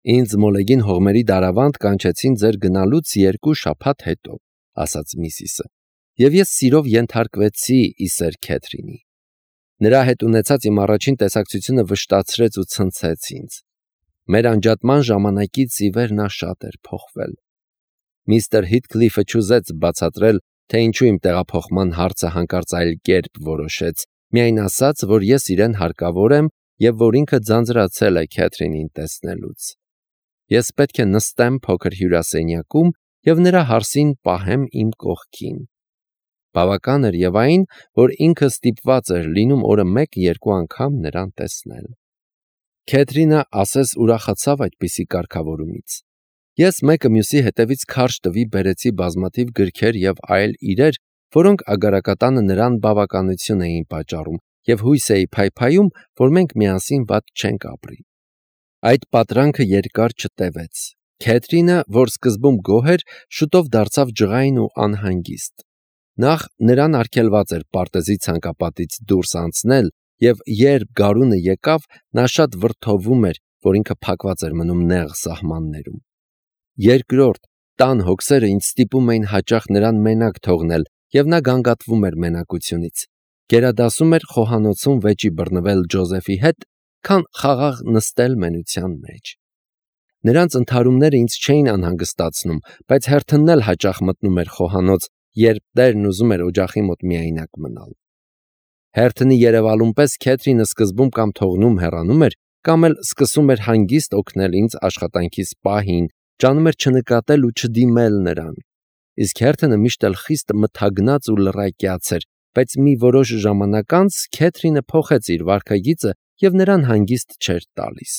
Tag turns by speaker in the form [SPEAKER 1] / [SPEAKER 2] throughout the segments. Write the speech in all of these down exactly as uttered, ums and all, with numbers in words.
[SPEAKER 1] Ինձ մոլեգին հողմերի դարավանդ կանչեցին ձեր գնալուց երկու շաբաթ հետո, ասաց Միսիսը, եւ ես սիրով ենթարկվեցի իսեր Քեթրինի։ Նրա հետ ունեցած իմ առաջին տեսակցությունը վշտացրեց ու ցնցեց ինձ։ Մեր անջատման ժամանակից ի վեր նա շատ էր փոխվել։ Միստր Հիթքլիֆը չուզեց բացատրել, թե ինչու իմ տեղափոխման հարցը հանկարծ այլ կերպ որոշեց, միայն ասաց, որ ես իրեն հարկավոր եմ եւ որ ինքը ձանձրացել է Քեթրինին տեսնելուց։ Ես պետք է նստեմ փոքր հյուրասենյակում եւ նրա հարսին պահեմ իմ կողքին։ Բավական էր եւ այն, որ ինքը ստիպված էր լինում օրը մեկ-երկու անգամ նրան տեսնել։ Քեթրինը ասես ուրախացավ այդպիսի կարգավորումից։ Ես մեկը մյուսի հետևից քարշ տվի բերեցի բազմաթիվ գրքեր եւ այլ իրեր, որոնք ագարակատանը նրան բավականություն էին պատճառում, եւ հույս էի փայփայում, որ մենք միասին վատ չենք ապրի։ Այդ պատրանքը երկար չտևեց։ Քեթրինը, որ սկզբում գոհ էր, շուտով դարձավ ջղայն ու անհանգիստ։ Նախ նրան արգելված էր պարտեզի ցանկապատից դուրս անցնել, եւ երբ գարունը եկավ, նա շատ վրդովում էր, որ ինքը փակված էր մնում նեղ սահմաններում։ Երկրորդ, տան հոգսերը ինձ ստիպում էին հաճախ նրան մենակ թողնել, եւ նա գանգատվում էր մենակությունից։ Գերադասում էր խոհանոցում վեճի բռնվել Ջոզեֆի հետ, քան խաղաղ նստել մենության մեջ։ Նրանց ընդհարումները ինձ չէին անհանգստացնում, բայց հերթն էլ հաճախ մտնում էր խոհանոց, երբ տերն ուզում էր օջախի մոտ միայնակ մնալ։ Հերթնի Երևալուն պես Քեթրինը սկզբում կամ թողնում հեռանում էր, կամ էլ սկսում էր հանգիստ օգնել ինձ աշխատանքիս պահին, ջանում էր չնկատել ու չդիմել նրան։ Իսկ հերթնը միշտ էլ խիստ մթագնած ու լռակյաց էր, բայց մի որոշ ժամանակ անց Քեթրինը փոխեց իր վարքագիծը եւ նրան հանգիստ չէր տալիս։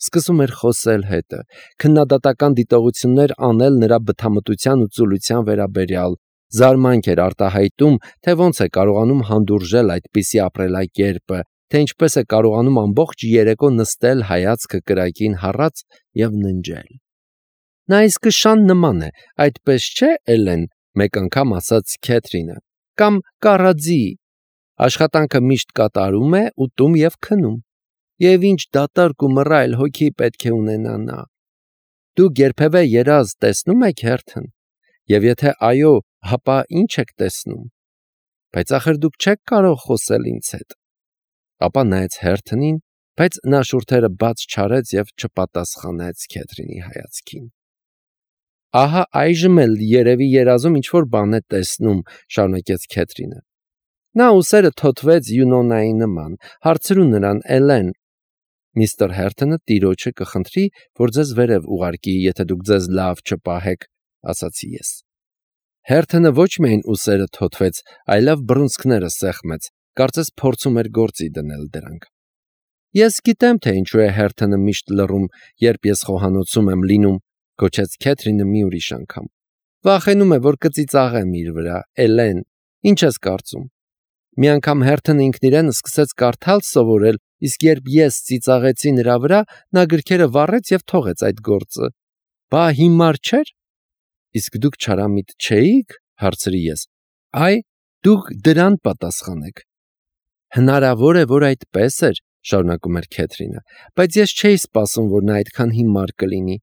[SPEAKER 1] Սկսում էր խոսել հետը, քննադատական դիտողություններ անել նրա բթամտության ու ծուլության վերաբերյալ, զարմանք էր արտահայտում, թե ոնց է կարողանում հանդուրժել այդպիսի ապրելակերպը, թե ինչպես է կարողանում ամբողջ երեկո նստել հայացքը կրակին հառած եւ ննջել։ Նա իսկ շան նման է, այդպես չէ, Էլեն, մեկ անգամ ասաց Քեթրինը, կամ կառաձի։ Աշխատանքը միշտ կատարում է, ուտում եւ քնում։ Եվ ինչ դատարկ ու մռայլ հոգի պետք է ունենա նա։ Դուք երբևէ երազ տեսնում եք հերթն։ Եվ եթե այո, հապա ինչ եք տեսնում։ Բայց ախր դուք չեք կարող խոսել ինձ հետ։ Ապա նայեց հերթնին, բայց նա շուրթերը բաց չարեց եւ չպատասխանեց Քեթրինի հայացքին։ Ահա այժմ էլ երևի երազում ինչ որ բան է տեսնում, շարունակեց Քեթրինը։ Նա ուսերը թոթվեց Յունոնայի նման, հարցրու նրան, Էլեն։ Միստր Հերթոնը տիրոջը կխնդրի, որ ձեզ վերև ուղարկի, եթե դուք ձեզ լավ չպահեք, ասացի ես։ Հերթոնը ոչ միայն ուսերը թոթվեց, այլև բռունցքները սեղմեց, կարծես փորձում էր գործի դնել դրանք։ Ես գիտեմ, թե ինչու է Հերթոնը միշտ լռում, երբ ես խոհանոցում եմ լինում, գոչեց Քեթրինը մի ուրիշ անգամ։ Վախենում է, որ կծիծաղեմ իր վրա, Էլեն, ինչ ես կարծում։ Մի անգամ Հերթոնը ինքն իրեն սկսեց կարդալ սովորել, իսկ երբ ես ծիծաղեցի նրա վրա, նա գրքերը վառեց եւ թողեց այդ գործը։ Բա հիմար չէր։ Իսկ դուք չարամիտ չէիք, հարցրի ես։ Այ, դուք դրան պատասխանեք։ Հնարավոր է, որ այդպես էր, շարունակում էր Քեթրինը, բայց ես չէի սպասում, որ նա այդքան հիմար կլինի։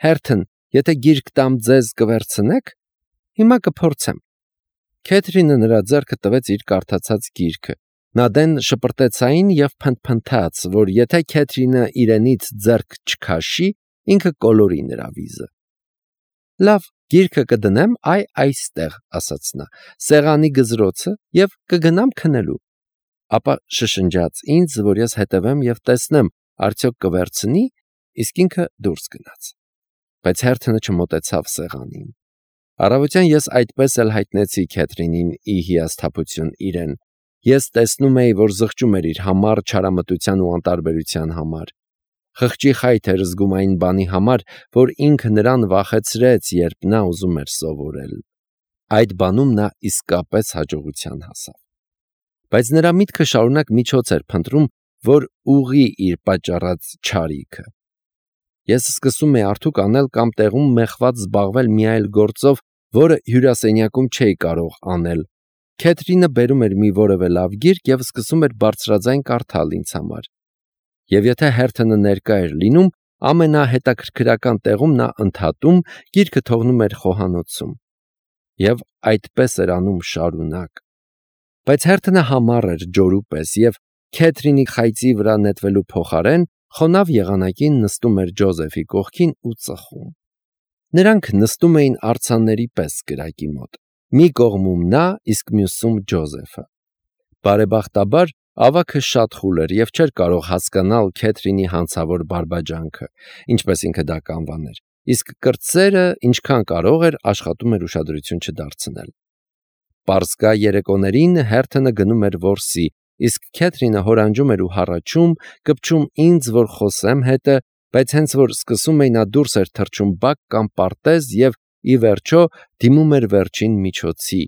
[SPEAKER 1] Հերթն, եթե գիրք տամ ձեզ կվերցնեք, հիմա կփորձեմ։ Քեթրինը նրա ձեռքը տվեց իր կարդացած գիրքը։ Նա դեն շպրտեցային եւ փնթփնթաց, որ եթե Քեթրինը իրենից ձեռք չքաշի, ինքը կոլորի նրա վիզը։ Լավ, գիրքը կդնեմ այ այստեղ, ասաց նա, սեղանի գզրոցը եւ կգնամ քնելու։ Ապա շշնջաց ինձ, որ ես հետևեմ եւ տեսնեմ, արդյոք կվերցնի, իսկ ինքը դուրս գնաց։ Բայց Հերթոնը չմոտեցավ սեղանին։ Առավոտյան ես այդպես էլ հայտնեցի Քեթրինին ի հիասթափություն իրեն։ Ես տեսնում էի, որ զղջում էր իր համառ չարամտության ու անտարբերության համար։ Խղճի խայթ էր զգում այն բանի համար, որ ինքը նրան վախեցրեց, երբ նա ուզում էր սովորել։ Այդ բանում նա իսկապես հաջողության հասավ։ Բայց նրա միտքը շարունակ միջոց էր փնտրում, որ ուղի իր պատճառած չարիքը։ Ես սկսում էի արդյոք անել կամ տեղում մեխված զբաղվել մի այլ գործով, որը հյուրասենյակում չէի կարող անել։ Քեթրինը բերում էր մի որևէ լավ գիրք եւ սկսում էր բարձրաձայն կարդալ ինձ համար։ Եվ եթե Հերթոնը ներկա էր լինում, ամենահետաքրքրական տեղում նա ընդհատում, գիրքը թողնում էր խոհանոցում։ Եվ այդպես էր անում շարունակ։ Բայց Հերթոնը համառ էր ջորու պես և Քեթրինի խայծի վրա նետվելու փոխարեն խոնավ եղանակին նստում էր Ջոզեֆի կողքին ու ծխում։ Նրանք նստում էին արձանների պես կրակի մոտ։ Մի կողմում նա, իսկ մյուսում Ջոզեֆը։ Բարեբախտաբար ավագը շատ խուլ էր և չէր կարող հասկանալ Քեթրինի հանցավոր բարբաջանքը, ինչպես ինքը դա կանվաներ, իսկ կրտսերը, ինչքան կարող էր, աշխատում էր ուշադրություն չդարձնել։ Պարսկա երեկոներին Հերթոնը գնում էր որսի, իսկ Քեթրինը հորանջում էր ու հառաչում, կպչում ինձ, որ խոսեմ հետը, բայց հենց որ սկսում էի նա դուրս էր թռչում բակ կամ պարտեզ և, ի վերջո, դիմում էր վերջին միջոցի,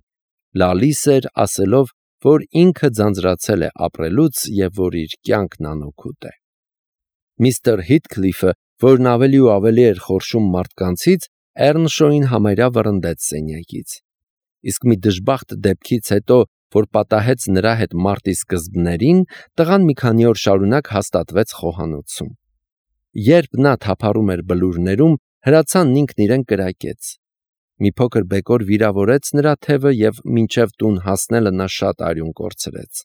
[SPEAKER 1] լալիս էր, ասելով, որ ինքը ձանձրացել է ապրելուց և որ իր կյանքն անօգուտ է։ Միստր Հիթքլիֆը, որն ավելի ու ավելի էր խորշում մարդկանցից, Էռնշոյին համարյա վռնդեց սենյակից։ Իսկ մի դժբախտ դեպքից հետո, որ պատահեց նրա հետ մարտի սկզբներին, տղան մի քանի օր շարունակ հաստատվեց խոհանոցում։ Երբ նա թափառում էր բլուրներում, հրացանն ինքն իրեն կրակեց։ Մի փոքր բեկոր վիրավորեց նրա թևը և մինչև տուն հասնելը նա շատ արյուն կորցրեց։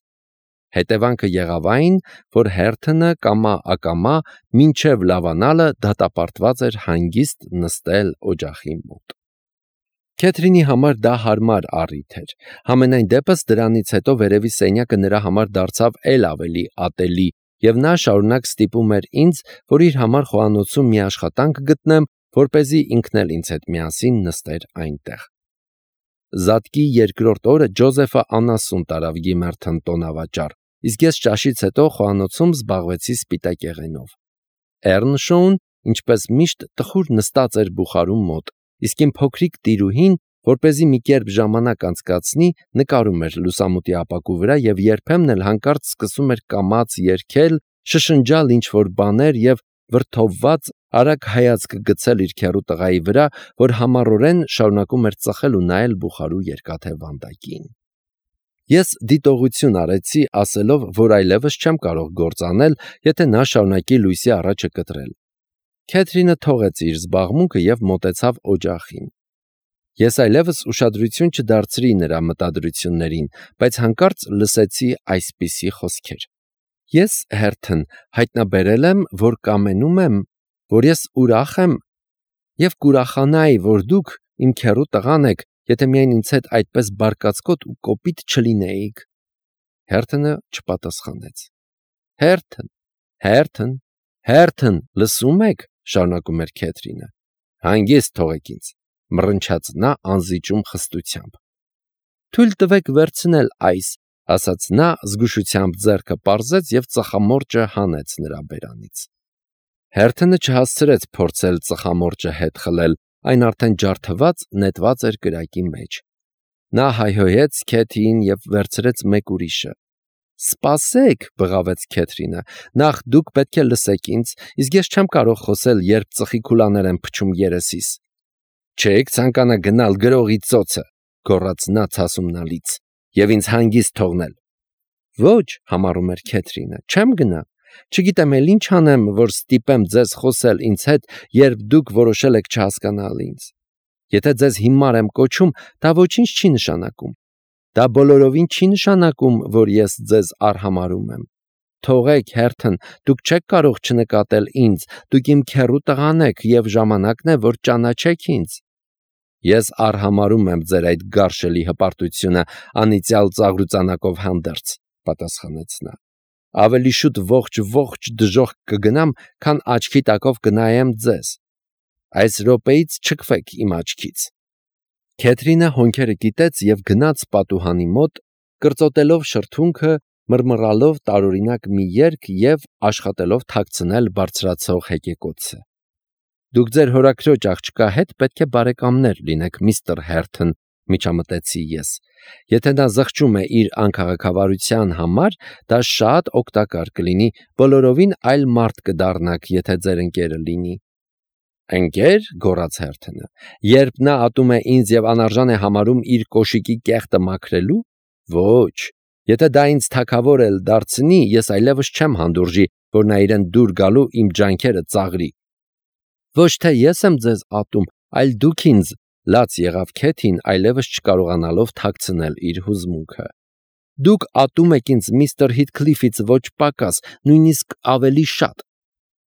[SPEAKER 1] Հետևանքը եղավ այն, որ Հերթոնը կամա-ակամա մինչև լավանալը դատապարտված էր հանգիստ նստել օջախի մոտ։ Քեթրինի համար դա հարմար առիթ էր։ Համենայն դեպս դրանից հետո վերևի սենյակը նրա համար դարձավ էլ ավելի ատելի, և նա շարունակ ստիպում էր ինձ, որ իր համար խոհանոցում մի աշխատանք գտնեմ, որպեսզի ինքն էլ ինձ հետ միասին նստեր այնտեղ։ Զատկի երկրորդ օրը Ջոզեֆը անասուն տարավ Գիմերթոն տոնավաճառ, իսկ ես ճաշից հետո խոհանոցում զբաղվեցի սպիտակեղենով։ Էռնշոուն, ինչպես միշտ, տխուր նստած էր բուխարու մոտ, իսկ իմ փոքրիկ տիրուհին, որպեսզի մի կերպ ժամանակ անցկացնի, նկարում էր լուսամուտի ապակու վրա և երբեմն էլ հանկարծ սկսում էր կամաց երգել, շշնջալ ինչ-որ բաներ և վրդովված արագ հայացք գցել իր քեռու տղայի վրա, որ համառորեն շարունակում էր ծխել ու նայել բուխարու երկաթե վանդակին։ Ես դիտողություն արեցի, ասելով, որ այլևս չեմ կարող գործ անել, եթե նա շարունակի լույսի առաջը կտրել։ Քեթրինը թողեց իր զբաղմունքը և մոտեցավ օջախին։ Ես այլևս ուշադրություն չդարձրի նրա մտադրություններին, բայց հանկարծ լսեցի այսպիսի խոսքեր. «Ես, Հերթոն, հայտնաբերել եմ, որ կամենում եմ, որ ես ուրախ եմ և կուրախանայի, որ դուք իմ քեռու տղան եք, եթե միայն ինձ հետ այդպես բարկացկոտ ու կոպիտ չլինեիք»։ Հերթոնը չպատասխանեց։ «Հերթոն, Հերթոն, Հերթոն, լսում եք», շարունակում էր Քեթրինը։ «Հանգիստ թողեք ինձ», մռնչաց նա անզիջում խստությամբ։ «Թույլ տվեք վերցնել այս», ասաց նա, զգուշությամբ ձեռքը պարզեց և ծխամորճը հանեց նրա բերանից։ Հերթոնը չհասցրեց փորձել ծխամորճը հետ խլել, այն արդեն ջարդված նետված էր կրակի մեջ։ Նա հայհոյեց Քեթիին և վերցրեց մեկ ուրիշը։ «Սպասեք», բղավեց Քեթրինը, «նախ դուք պետք է լսեք ինձ, իսկ ես չեմ կարող խոսել, երբ ծխի քուլաներ են փչում երեսիս»։ «Չեք ցանկանա գնալ գրողի ծոցը», գոռաց նա ցասումնալից, «և ինձ հանգիստ թողնել»։ «Ոչ», համառում էր Քեթրինը, «չեմ գնա։ Չգիտեմ էլ ինչ անեմ, որ ստիպեմ ձեզ խոսել ինձ հետ, երբ դուք որոշել եք չհասկանալ ինձ։ Եթե ձեզ հիմար եմ կոչում, դա ոչինչ չի նշանակում։ Դա բոլորովին չի նշանակում, որ ես ձեզ արհամարհում եմ։ Թողեք, Հերթոն, դուք չեք կարող չնկատել ինձ, դուք իմ քեռու տղան եք, և ժամանակն է, որ ճանաչեք ինձ»։ «Ես արհամարհում եմ ձեր այդ գարշելի հպարտությունը անիծյալ ծաղրուծանակով հանդերձ», պատասխանեց նա։ «Ավելի շուտ ողջ-ողջ դժոխք կգնամ, քան աչքի տակով կնայեմ ձեզ։ Այս րոպեից չքվեք իմ աչքից»։ Քեթրինը հոնքերը կիտեց և գնաց պատուհանի մոտ, կրծոտելով շրթունքը, մռմռալով տարօրինակ մի երգ և աշխատելով թաքցնել բարձրացող հեկեկոցը։ «Դուք ձեր հորաքրոջ աղջկա հետ պետք է բարեկամներ լինեք, միստր Հերթոն», միջամտեցի ես։ «Եթե նա զղջում է իր անքաղաքավարության համար, դա շատ օգտակար կլինի, բոլորովին այլ մարդ կդառնաք, եթե ձեր ընկերը լինի»։ «Ընկե՞ր», գոռաց Հերթոնը, «երբ նա ատում է ինձ և անարժան է համարում իր կոշիկի կեղտը մաքրելու։ Ոչ, եթե դա ինձ թագավոր էլ դարձնի, ես այլևս չեմ հանդուրժի, որ նա իրեն դուր գալու իմ ջանքերը ծաղրի։ Ոչ թե ես եմ ձեզ ատում, այլ դուք ինձ, լաց եղավ Քեթին, այլևս չկարողանալով թաքցնել իր հուզմունքը։ Դուք ատում եք ինձ միստր Հիթքլիֆից ոչ պակաս, նույնիսկ ավելի շատ։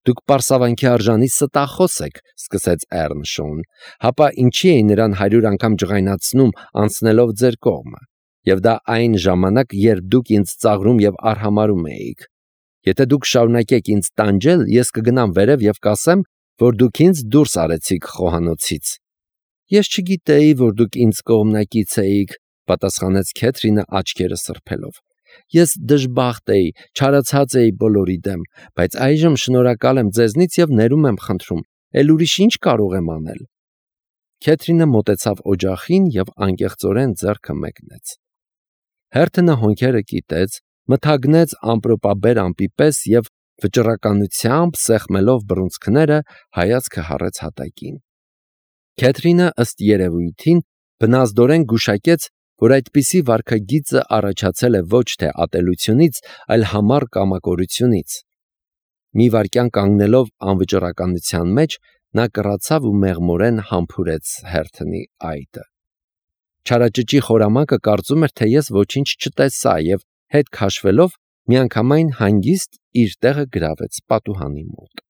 [SPEAKER 1] Դուք պարսավանքի արժանի ստախոս եք, սկսեց Էռնշոուն, հապա ինչի էի նրան հարյուր անգամ ջղայնացնում անցնելով ձեր կողմը, եւ դա այն ժամանակ, երբ դուք ինձ ծաղրում եւ արհամարհում էիք։ Եթե դուք շարունակեք ինձ տանջել, ես կգնամ վերև եւ կասեմ, որ դուք ինձ դուրս արեցիք խոհանոցից։ Ես չգիտեի, որ դուք ինձ կողմնակից էիք, պատասխանեց Քեթրինը աչքերը սրբելով։ Ես դժբախտ էի, չարացած էի բոլորի դեմ, բայց այժմ շնորհակալ եմ ձեզնից եւ ներում եմ խնդրում, ել ուրիշ ինչ կարող եմ անել։ Քեթրինը մոտեցավ օջախին եւ անկեղծորեն ձեռքը մեկնեց։ Հերթը հոնքերը կիտեց, մթագնեց ամպրոպաբեր ամպի պես եւ վճռականությամբ սեղմելով բռունցքները հայացքը հառեց հատակին։ Քեթրինը ըստ երևույթին բնազդորեն գուշակեց, որ այդպիսի վարքագիծը առաջացել է ոչ թե ատելությունից, այլ համառ կամակորությունից։ Մի վայրկյան կանգնելով անվճռականության մեջ, նա կռացավ ու մեղմորեն համբուրեց Հերթնի այտը։ Չարաճճի խորամանկը կարծում էր, թե ես ոչինչ չտեսա եւ հետ քաշվելով միանգամայն հանգիստ իր տեղը գրավեց պատուհանի մոտ։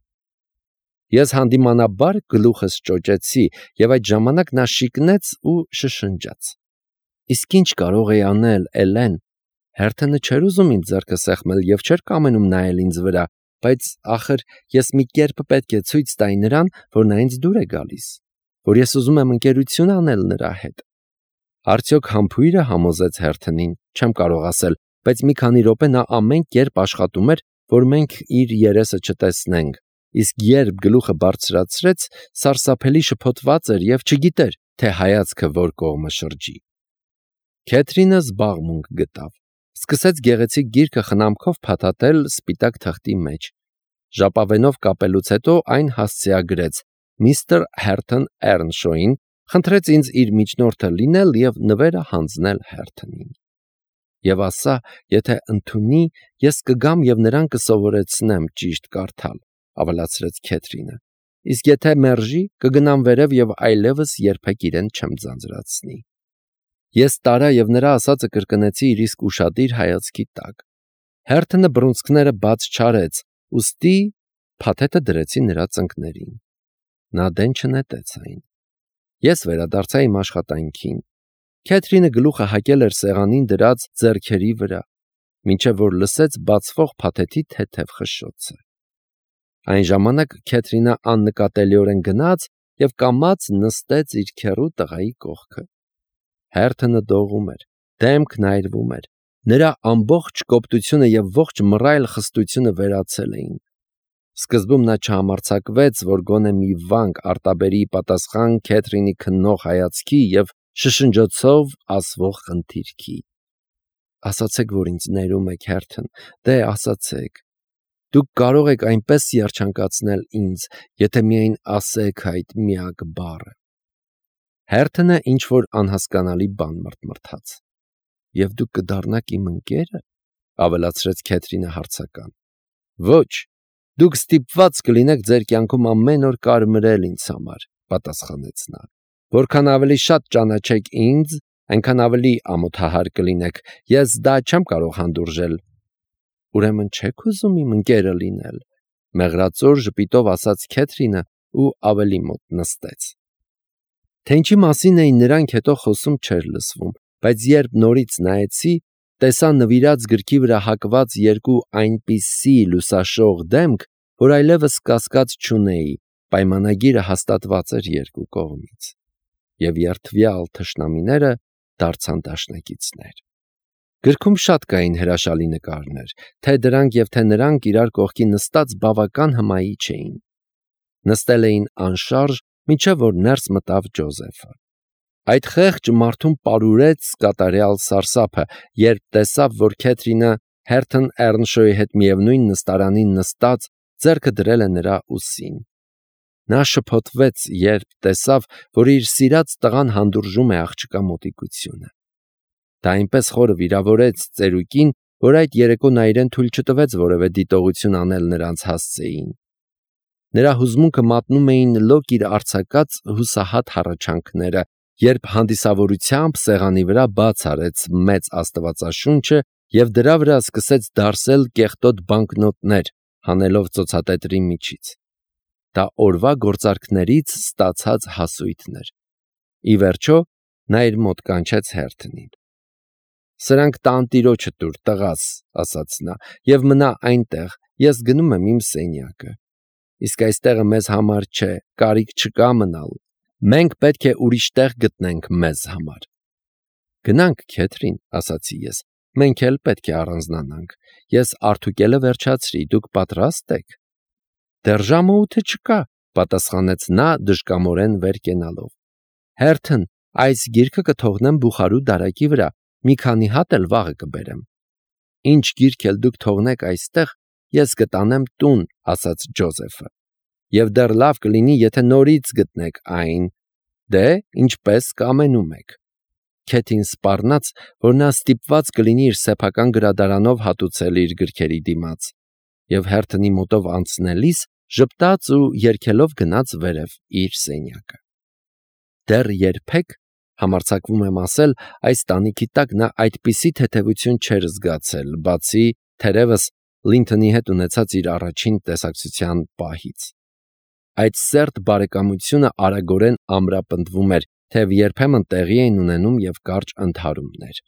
[SPEAKER 1] Ես հանդիմանաբար գլուխս ճոճեցի եւ այդ ժամանակ նա շիկնեց ու շշնջաց. Իսկ ինչ կարող էի անել, Էլեն։ Հերթը չէր ուզում ինձ ձեռքը սեղմել եւ չէր կամենում նայել ինձ վրա, բայց ախր ես մի կերպ պետք է ցույց տայի նրան, որ նա ինձ դուր է գալիս, որ ես ուզում եմ ընկերություն անել նրա հետ։ Արդյոք համբույրը համոզեց Հերթնին, չեմ կարող ասել, բայց մի քանի րոպե նա ամեն կերպ աշխատում էր, որ մենք իր երեսը չտեսնենք, իսկ երբ գլուխը բարձրացրեց, սարսափելի շփոթված էր եւ չգիտեր, թե հայացքը որ կողմը շրջի։ Քեթրինը զբաղմունք գտավ, սկսեց գեղեցիկ գիրքը խնամքով փաթաթել սպիտակ թղթի մեջ։ Ժապավենով կապելուց հետո այն հասցեագրեց միստր Հերթն Էռնշոին, խնդրեց ինձ իր միջնորդը լինել եւ նվերը հանձնել Հերթնին։ Եվ ասա, եթե ընդունի, ես կգամ եւ նրան կսովորեցնեմ ճիշտ կարդալ, ավելացրեց Քեթրինը։ Իսկ եթե մերժի, կգնամ վերև եւ այլևս երբեք իրեն չեմ ձանձրացնի։ Ես տարա եւ նրա ասածը կրկնեցի իր իսկ ուշադիր հայացքի տակ։ Հերթնը բռունցքները բաց չարեց, ուստի փաթեթը դրեցի նրա ծնկներին։ Նա դեն չնետեց այն։ Ես վերադարձա իմ աշխատանքին։ Քեթրինը գլուխը հակել էր սեղանին դրած ձեռքերի վրա, մինչև որ լսեց բացվող փաթեթի թեթև խշշոցը։ Այն ժամանակ Քեթրինը աննկատելիորեն գնաց եւ կամաց նստեց իր քեռու տղայի կողքը։ Հերթը դողում էր, դեմքն այրվում էր, նրա ամբողջ կոպտությունը եւ ողջ մռայլ խստությունը վերացել էին։ Սկզբում նա չհամարձակվեց, որ գոնե մի վանք արտաբերի պատասխան Քեթրինի քննող հայացքի եւ շշնջոցով ասվող խնդիրքի։ Ասացեք, որ ինձ ներում եք, Հերթն, դե ասացեք։ Դուք կարող եք այնպես երջանկացնել ինձ, եթե միայն ասեք այդ միակ բառը։ Հերթնը ինչ-որ անհասկանալի բան մրթմրթաց։ Եվ դուք կդառնաք իմ ընկե՞րը, ավելացրեց Քեթրինը հարցական։ Ոչ, դուք ստիպված կլինեք ձեր կյանքում ամեն օր կարմրել ինձ համար, պատասխանեց նա։ Որքան ավելի շատ ճանաչեք ինձ, այնքան ավելի ամոթահար կլինեք, ես դա չեմ կարող հանդուրժել։ Ուրեմն չեք ուզում իմ ընկերը լինել, մեղրածոր ժպիտով ասաց Քեթրինը ու ավելի մոտ նստեց։ Թե ինչի մասին էին նրանք հետո խոսում չէր լսվում, բայց երբ նորից նայեցի, տեսա նվիրած գրքի վրա հակված երկու այնպիսի լուսաշող դեմք, որ այլևս կասկած չունեի, պայմանագիրը հաստատված էր երկու կողմից, եւ երդվյալ թշնամիները դարձան դաշնակիցներ։ Գրքում շատ կային հրաշալի նկարներ, թե դրանք եւ թե նրանք իրար կողքի նստած բավական հմայի չէին։ Նստել էին անշարժ, մինչև որ ներս մտավ Ջոզեֆը։ Այդ խեղճ մարդուն պարուրեց կատարյալ սարսափը, երբ տեսավ, որ Քեթրինը Հերթն Էռնշոյի հետ միևնույն նստարանին նստած ձեռքը դրել է նրա ուսին։ Նա շփոթվեց, երբ տեսավ, որ իր սիրած տղան հանդուրժում է աղջկա մոտիկությունը։ Դա այնպես խորը վիրավորեց ծերուկին, որ այդ երեկո նա իրեն թույլ չտվեց որևէ դիտողություն անել նրանց հասցեին։ Նրա հուզմունքը մատնում էին լոկ իր արձակած հուսահատ հառաչանքները, երբ հանդիսավորությամբ սեղանի վրա բաց արեց մեծ աստվածաշունչը և դրա վրա սկսեց դարսել կեղտոտ բանկնոտներ, հանելով ծոցատետրի միջից։ Դա օրվա գործարքներից ստացած հասույթներ։ Ի վերջո, նա իր մոտ կանչեց Հերթնին։ «Սրանք տանտիրոջը տուր, տղաս», ասաց նա, «և մնա այնտեղ, ես գնում եմ իմ սենյակը։ Իսկ այս տեղը մեզ համար չէ, կարիք չկա մնալ, մենք պետք է ուրիշ տեղ գտնենք մեզ համար»։ «Գնանք, Քեթրին», ասացի ես, «մենք էլ պետք է առանձնանանք, ես արտուկելը վերջացրի, դուք պատրաստ եք»։ «Դեռ ժամը ութը չկա», պատասխանեց նա դժկամորեն վեր կենալով։ «Հերթն, այս գիրքը կթողնեմ բուխարու դարակի վրա, մի քանի հատ էլ վաղը կբերեմ»։ «Ինչ գիրք էլ դուք թողնեք այստեղ, ես կտանեմ տուն», ասաց Ջոզեֆը, «և դեռ լավ կլինի, եթե նորից գտնեք այն, դե, ինչպես կամենում եք»։ Քեթին սպառնաց, որ նա ստիպված կլինի իր սեփական գրադարանով հատուցել իր գրքերի դիմաց, և Հերթնի մոտով անցնելիս ժպտաց ու երգելով գնաց վերև իր սենյակը։ Դեռ երբեք, համարձակվում եմ ասել, այս տանիքի տակ նա այդպիսի թեթևություն չէր զգացել, բացի, թերևս, Լինթոնի հետ ունեցած իր առաջին տեսակցության պահից։ Այդ սերտ բարեկամությունը արագորեն ամրապնդվում էր, թեև երբեմն տեղի էին ունենում և կարճ ընդհարումներ։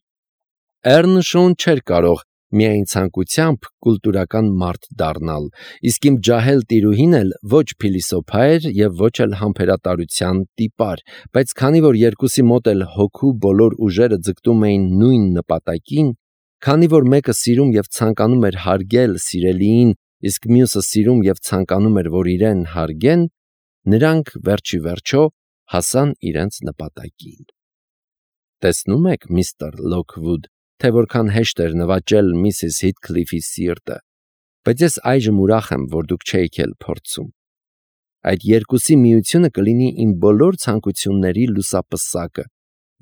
[SPEAKER 1] Էռնշոուն չէր կարող միայն ցանկությամբ կուլտուրական մարդ դառնալ, իսկ իմ ջահել տիրուհին էլ ոչ փիլիսոփա էր և ոչ էլ համբերատարության տիպար, բայց քանի որ երկուսի մոտ էլ հոգու բոլոր ուժերը ձգտում էին նույն նպատակին, քանի որ մեկը սիրում և ցանկանում էր հարգել սիրելիին, իսկ մյուսը սիրում և ցանկանում էր, որ իրեն հարգեն, նրանք վերջիվերջո հասան իրենց նպատակին։ Տեսնում եք, միստր Լոքվուդ, թե որքան հեշտ էր նվաճել միսիս Հիթքլիֆի սիրտը, բայց ես այժմ ուրախ եմ, որ դուք չէիք էլ փորձում։ Այդ երկուսի միությունը կլինի իմ բոլոր ցանկությունների լուսապսակը։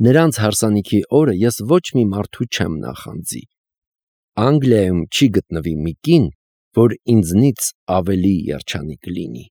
[SPEAKER 1] Նրանց հարսանիքի օրը ես ոչ մի մարդու չեմ նախանձի։ Անգլիայում չի գտնվի մի կին, որ ինձնից ավելի երջանիկ լինի։